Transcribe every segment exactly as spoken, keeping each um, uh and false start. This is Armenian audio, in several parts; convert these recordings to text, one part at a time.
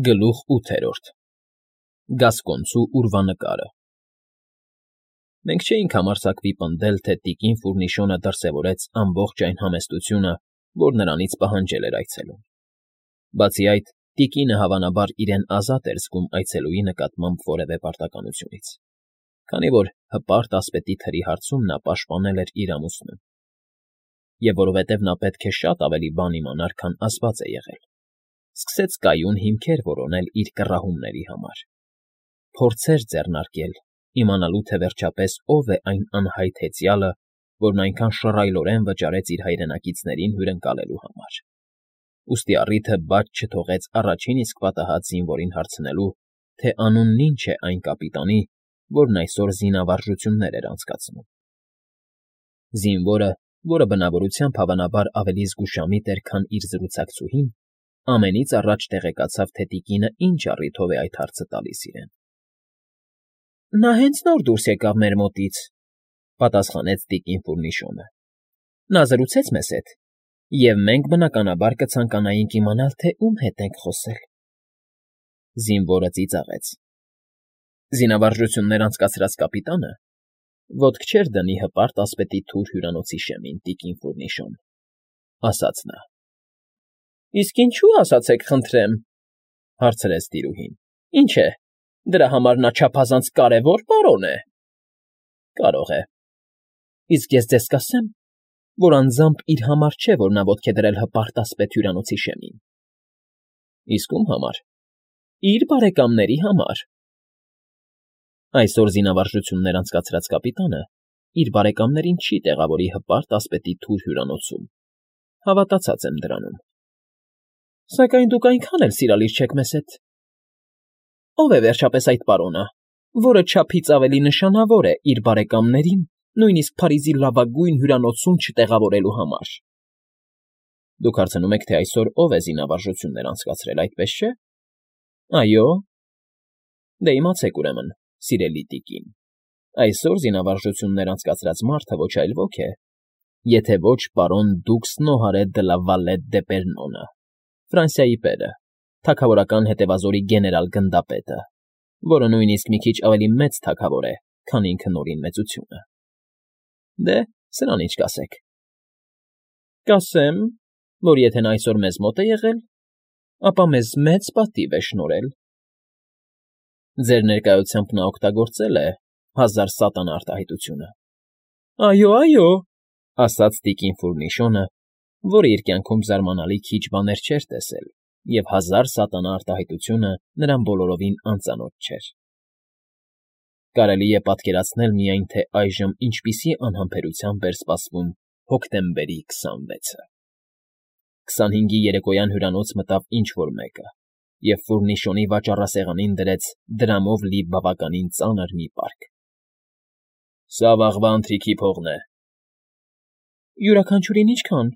Գլուխ ութերորդ Գասկոնցու ուրվանկարը Մենք չէինք համարձակվի պնդել, թե տիկին Ֆուրնիշոնը դրսևորեց ամբողջ այն համեստությունը, որ նրանից պահանջել էր այցելուն. բացի այդ, տիկինը հավանաբար իրեն ազատ էր զգում այցելուի նկատմամբ որևէ պարտականությունից, քանի որ հպարտ ասպետի թրի հարցում նա պաշտպանել էր իր ամուսնուն, և որովհետև նա պետք է շատ ավելի բան իմանար, քան ասված է եղել, սկսեց կայուն հիմքեր որոնել իր կռահումների համար, փորձեր ձեռնարկել, իմանալու թե վերջապես ով է այն անհայտ հեծյալը, որն այնքան շռայլորեն վճարեց իր հայրենակիցներին հյուրընկալելու համար, ուստի առիթը բաց չթողեց առաջին իսկ պատահած զինվորին հարցնելու, թե անունն ինչ է այն կապիտանի, որն այսօր զինավարժություններ էր անցկացնում. Զինվորը, որը բնավորությամբ հավանաբար ավելի զգուշամիտ էր, քան իր զրուցակցուհին, ամենից առաջ տեղեկացավ, թե տիկինը ինչ առիթով է այդ հարցը տալիս իրեն։ ֊ Նա հենց նոր դուրս եկավ մեր մոտից,֊ պատասխանեց տիկին Ֆուրնիշոնը։֊ Նա զրուցեց մեզ հետ, և մենք, բնականաբար, կցանկանայինք իմանալ, թե ում հետ ենք խոսել։ Զինվորը ծիծաղեց։ Զինավարժություններ անցկացրած կապիտանը ոտք չէր դնի հպարտ ասպետի թուր հյուրանոցի շեմին, տիկին Ֆուրնիշոն,֊ ասաց նա։ ֊ Իսկ ինչո՞ւ, ասացեք, խնդրեմ,֊ հարցրեց տիրուհին։ ֊ Ինչ է, դրա համար նա չափազանց կարևո՞ր պարոն է։ ֊ Կարող է։ ֊ Իսկ ես ձեզ կասեմ, որ անձամբ իր համար չէ, որ նա ոտք է դրել հպարտ ասպետ հյուրանոցի շեմին։ ֊ Իսկ ո՞ւմ համար։ ֊ Իր բարեկամների համար։ Այսօր զինավարժություններ անցկացրած կապիտանը իր բարեկամներին չի տեղավորի հպարտ ասպետի թուր հյուրանոցում, հավատացած եմ դրանում։ ֊ Սակայն դուք այնքան էլ սիրալիր չեք մեզ հետ։ Ո՞վ է վերջապես այդ պարոնը, որը չափից ավելի նշանավոր է իր բարեկամներին նույնիսկ Փարիզի լավագույն հյուրանոցում չտեղավորելու համար։ ֊ Դուք հարցնում եք, թե այսօր ով է զինավարժություններ անցկացրել, այդպես չէ։ ֊ Այո։ ֊ Դե իմացեք, ուրեմն, սիրելի տիկին, այսօր զինավարժություններ անցկացրած մարդը ոչ այլ ոք է, եթե ոչ պարոն դուքս Նոհարե դը լա Վալետ դե Պերնոնը, Ֆրանսիայի պերը, թագավորական հետևազորի գեներալ֊գնդապետը, որը նույնիսկ մի քիչ ավելի մեծ թագավոր է, քան ինքը Նորին մեծությունը։ Դե, սրան ինչ կասեք։ ֊ Կասեմ, որ եթե նա այսօր մեզ մոտ է եղել, ապա մեզ մեծ պատիվ է շնորհել։ ֊ Ձեր ներկայությամբ նա օգտագործել է հազար սատանա արտահայտությունը։ ֊ Այո, այո,֊ ասաց տիկին Ֆուրնիշոնը, որը իր կյանքում զարմանալի քիչ բաներ չէր տեսել, և հազար սատանա արտահայտությունը նրան բոլորովին անծանոթ չէր։ Կարելի է պատկերացնել միայն, թե այժմ ինչպիսի անհամբերությամբ էր սպասվում հոկտեմբերի քսանվեցը։ Քսանհինգի երեկոյան հյուրանոց մտավ ինչ֊որ մեկը և Ֆուրնիշոնի վաճառասեղանին դրեց դրամով լի բավականին ծանր մի պարկ։ ֊ Սա վաղվա ընթրիքի փողն է։ ֊ Յուրաքանչյուրին ինչքան,֊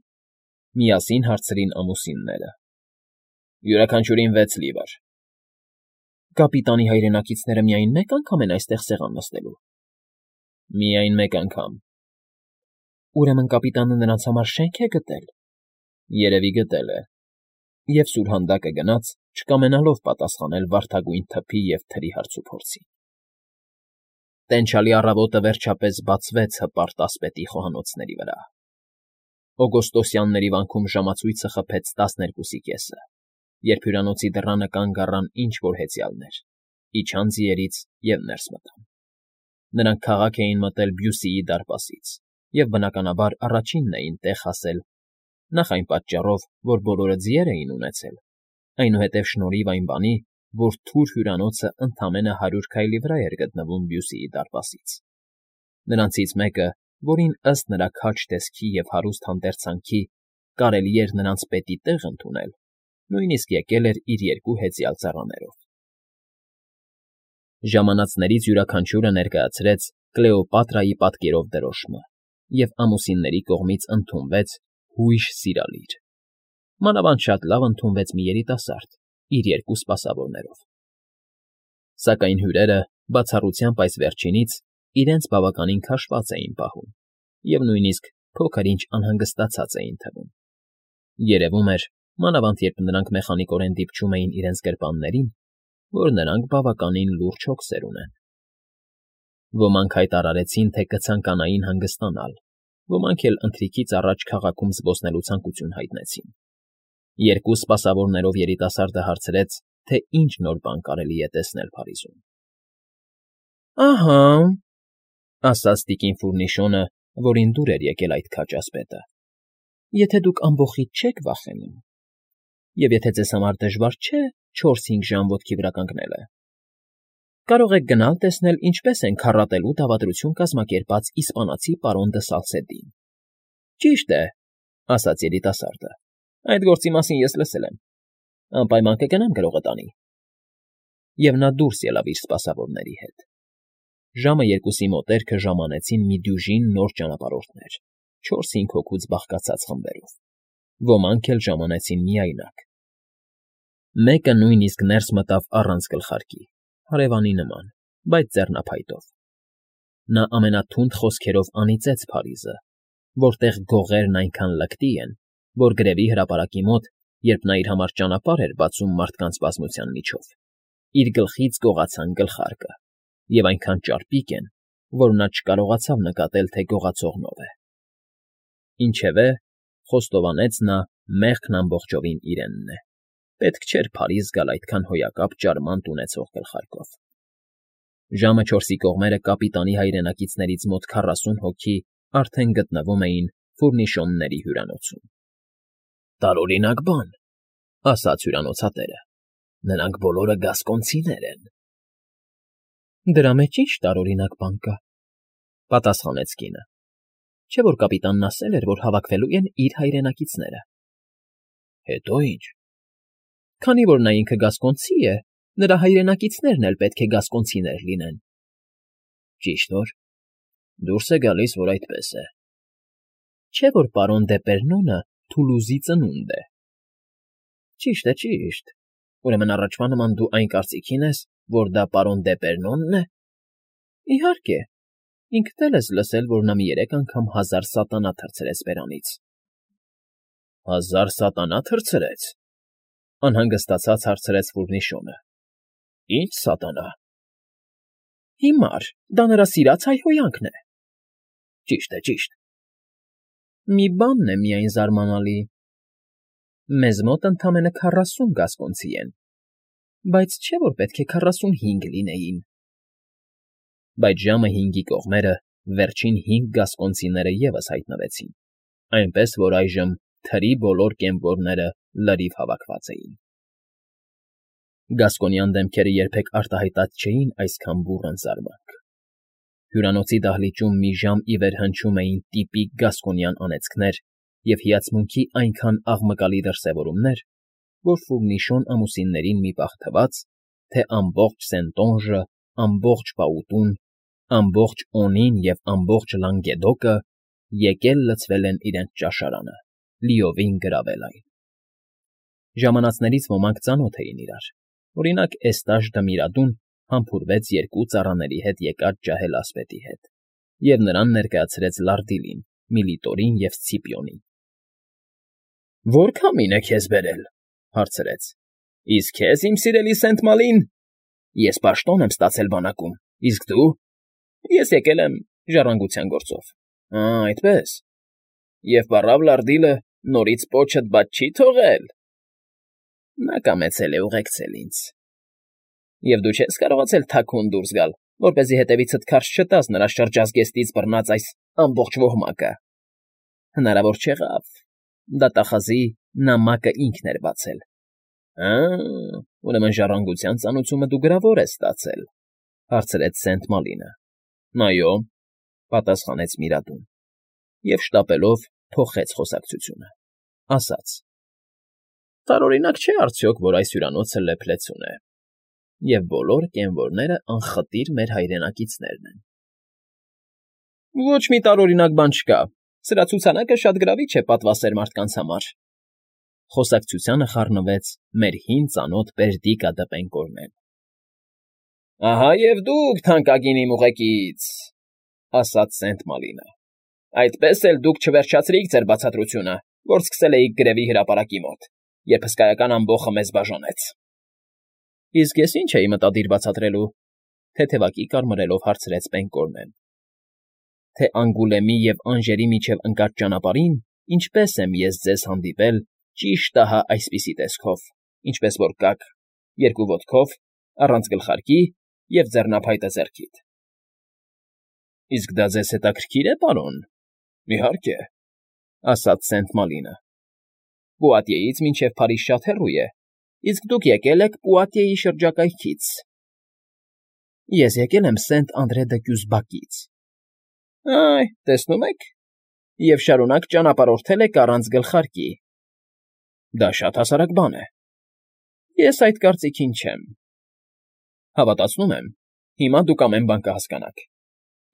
միասին հարցրին ամուսինները։ ֊ Յուրաքանչյուրին վեց լիվր։ ֊ Կապիտանի հայրենակիցները միայն մեկ անգամ են այստեղ սեղան նստելու։ ֊ Միայն մեկ անգամ։ ֊ Ուրեմն կապիտանը նրանց համար շե՞նք է գտել։ ֊ Երևի գտել է։ Եվ սուրհանդակը գնաց, չկամենալով պատասխանել վարդագույն թփի և թրի հարցուփորձի։ Տենչալի առավոտը վերջապես բացվեց հպարտ ասպետի խոհանոցների վրա։ Օգոստոսյանների վանքում ժամացույցը խփեց տասներկուսի կեսը, երբ հյուրանոցի դռանը կանգ առան ինչ֊որ հեծյալներ, իջան ձիերից և ներս մտան։ Նրանք քաղաք էին մտել Բյուսիի դարպասից և, բնականաբար, առաջինն էին տեղ հասել, նախ այն պատճառով, որ բոլորը ձիեր էին ունեցել, այնուհետև շնորհիվ այն բանի, որ թուր հյուրանոցը ընդամենը հարյուր քայլի վրա էր գտնվում Բյուսիի դարպասից։ Նրանցից մեկը, որին, ըստ նրա քաջ տեսքի և հարուստ հանդերձանքի, կարելի էր նրանց պետի տեղ ընդունել, նույնիսկ եկել էր իր երկու հեծյալ ծառաներով։ Ժամանածներից յուրաքանչյուրը ներկայացրեց Կլեոպատրայի պատկերով դրոշմը և ամուսինների կողմից ընդունվեց հույժ սիրալիր։ Մանավանդ շատ լավ ընդունվեց մի երիտասարդ իր երկու սպասավորներով։ Սակայն հյուրերը, բացառությամբ այս վերջինից, իրենց բավականին քաշված էին պահում և նույնիսկ փոքր֊ինչ անհանգստացած էին թվում։ Երևում էր, մանավանդ երբ նրանք մեխանիկորեն դիպչում էին իրենց գրպաններին, որ նրանք բավականին լուրջ հոգսեր ունեն։ Ոմանք հայտարարեցին, թե կցանկանային հանգստանալ, ոմանք էլ ընթրիքից առաջ քաղաքում զբոսնելու ցանկություն հայտնեցին։ Երկու սպասավորներով երիտասարդը հարցրեց, թե ինչ նոր բան կարելի է տեսնել Փարիզում։ Ահա, ասաց տիկին Ֆուրնիշոնը, որին դուր էր եկել այդ քաջ ասպետը, եթե դուք ամբոխից չեք վախենում, և եթե ձեզ համար դժվար չէ չորս֊հինգ ժամ ոտքի վրա կանգնելը, կարող եք գնալ տեսնել, ինչպես են քառատելու դավադրություն կազմակերպած իսպանացի պարոն դը Սալսեդին։ Ճիշտ է, ասաց երիտասարդը, այդ գործի մասին ես լսել եմ, անպայման կգնամ գրողը տանի։ Եվ նա դուրս ելավ իր սպասավորների հետ։ Ժամը երկուսի մոտերքը ժամանեցին մի դյուժին նոր ճանապարհորդներ, չորս֊հինգ հոգուց բաղկացած խմբերով, ոմանք էլ ժամանեցին միայնակ։ Մեկը նույնիսկ ներս մտավ առանց գլխարկի, հարևանի նման, բայց ձեռնափայտով։ Նա ամենաթունդ խոսքերով անիծեց Փարիզը, որտեղ գողերն այնքան լկտի են, որ գրևի հրապարակի մոտ, երբ նա իր համար ճանապարհ էր բացում մարդկանց բազմության միջով, իր գլխից գողացան գլխարկը, և այնքան ճարպիկ են, որ նա չկարողացավ նկատել, թե գողացողն ով է։ Ինչևէ, խոստովանեց նա, մեղքն ամբողջովին իրենն է, պետք չէր Փարիզ գալ այդքան հոյակապ ճարմանտ ունեցող գլխարկով։ Ժամը չորսի կողմերը կապիտանի հայրենակիցներից մոտ քառասուն հոգի արդեն գտնվում էին Ֆուրնիշոնների հյուրանոցում։ Տարօրինակ բան, ասաց հյուրանոցատերը, նրանք բոլորը գասկոնցիներ են։ Դրա մեջ ինչ տարօրինակ բան կա, պատասխանեց կինը, չէ՞ որ կապիտանն ասել էր, որ հավաքվելու են իր հայրենակիցները։ Հետո ինչ։ Քանի որ նա ինքը գասկոնցի է, նրա հայրենակիցներն էլ պետք է գասկոնցիներ լինեն։ Ճիշտ որ, դուրս է գալիս, որ այդպես է։ Չէ՞ որ պարոն Դեպերնոնը Թուլուզի ծնունդ է։ Ճիշտ է, ճիշտ, ուրեմն առաջվա նման դու այն կարծիքին ես, որ դա պարոն Դեպերնոնն է։ Իհարկե, ինքդ էլ ես լսել, որ նա մի երեք անգամ հազար սատանա թռցրեց բերանից։ Հազար սատանա թռցրեց, անհանգստացած հարցրեց Ֆուրնիշոնը։ Ինչ սատանա։ Հիմար, դա նրա սիրած հայհոյանքն է։ Ճիշտ է, ճիշտ։ Մի բանն է միայն զարմանալի. մեզ մոտ ընդամենը քառասուն գասկոնցի են, բայց չէ՞ որ պետք է քառասունհինգ լինեին։ Բայց ժամը հինգի կողմերը վերջին հինգ գասկոնցիները ևս հայտնվեցին, այնպես որ այժմ թրի բոլոր կեմպորները լրիվ հավաքված էին։ Գասկոնյան դեմքերը երբեք արտահայտած չէին այսքան բուռն զարմանք։ Հյուրանոցի դահլիճում մի ժամ ի վեր հնչում էին տիպիկ գասկոնյան անեծքներ և հիացմունքի այնքան աղմկալի դրսևորումներ, որ Ֆուրնիշոն ամուսիններին մի պահ թվաց, թե ամբողջ Սենտոնժը, ամբողջ Պաուտուն, ամբողջ Օնին և ամբողջ Լանգեդոկը եկել լցվել են իրենց ճաշարանը, լիովին գրավել այն։ Ժամանածներից ոմանք ծանոթ էին իրար, օրինակ Էստաժ դը Միրադուն համբուրվեց երկու ծառաների հետ եկած ջահել ասպետի հետ և նրան ներկայացրեց Լարդիլին, Միլիտորին և Սցիպիոնին։ Ո՞ր քամին է քեզ բերել, հարցրեց։ Իսկ քեզ, իմ սիրելի Սենտ֊Մալին։ Ես պաշտոն եմ ստացել բանակում, իսկ դու։ Ես եկել եմ ժառանգության գործով։ Ա, այդպես։ Եվ պառավ Լարդիլը նորից պոչդ բաց չի թողել։ Նա կամեցել է ուղեկցել ինձ։ Եվ դու չես կարողացել թաքուն դուրս գալ, որպեսզի հետևիցդ քարշ չտաս նրա շրջազգեստից բռնած այս ամբողջ ոհմակը։ Հնարավոր չեղավ, դատախազի նամակը ինքն էր բացել։ Ա, ուրեմն ժառանգության ծանուցումը դու գրավոր ես ստացել, հարցրեց Սենտ֊Մալինը։ Այո, պատասխանեց Միրադուն, և շտապելով փոխեց խոսակցությունը, ասաց. Տարօրինակ չէ արդյոք, որ այս հյուրանոցը լեփլեցուն է, և բոլոր կենվորները անխտիր մեր հայրենակիցներն են։ Ոչ մի տարօրինակ բան չկա, սրա ցուցանակը շատ գրավիչ է պատվասեր մարդկանց համար։ Խոսակցությանը խառնվեց մեր հին ծանոթ Բերդիկա դը Պենկորնեն։ Ահա և դուք, թանկագին իմ ուղեկից, ասաց Սենտ֊Մալինը։ Այդպես էլ դուք չվերջացրիք ձեր բացատրությունը, որ սկսել էիք գրևի հրապարակի մոտ, երբ հսկայական ամբոխը մեզ բաժանեց։ ֊ Իսկ ես ինչ էի մտադիր բացատրելու,֊ թեթևակի կարմրելով հարցրեց Բեն֊Գոռնեն,֊ թե Անգուլեմի և Անժերի միջև ընկած ճանապարհին ինչպե՞ս եմ ես ձեզ հանդիպել ճիշտ ահա այսպիսի տեսքով, ինչպես որ կաք, երկու ոտքով, առանց գլխարկի և ձեռնափայտը ձեռքիդ։ ֊ Իսկ դա ձեզ հետաքրքրի՞ր է, պարոն։ ֊ Իհարկե,֊ ասաց Սենտ Մալինը։ ֊ Պուատիեից մինչև Փարիզ շատ հեռու է, իսկ դուք եկել եք Պուատիեի շրջակայքից։ ֊ Ես եկել եմ Սենտ֊Անդրե֊դը֊Կյուզբակից։ ֊ Այ, տեսնում եք, և շարունակ ճանապարհորդել եք առանց գլխարկի. դա շատ հասարակ բան է։ ֊ Ես այդ կարծիքին չեմ։ ֊ Հավատացնում եմ, հիմա դուք ամեն բան կհասկանաք.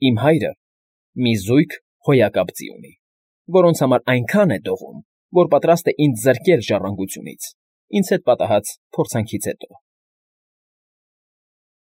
իմ հայրը մի զույգ հոյակապ ձի ունի, որոնց համար այնքան է դողում, որ պատրաստ է ինձ զրկել ժառանգությունից, ինձ հետ պատահած փորձանքից հետո։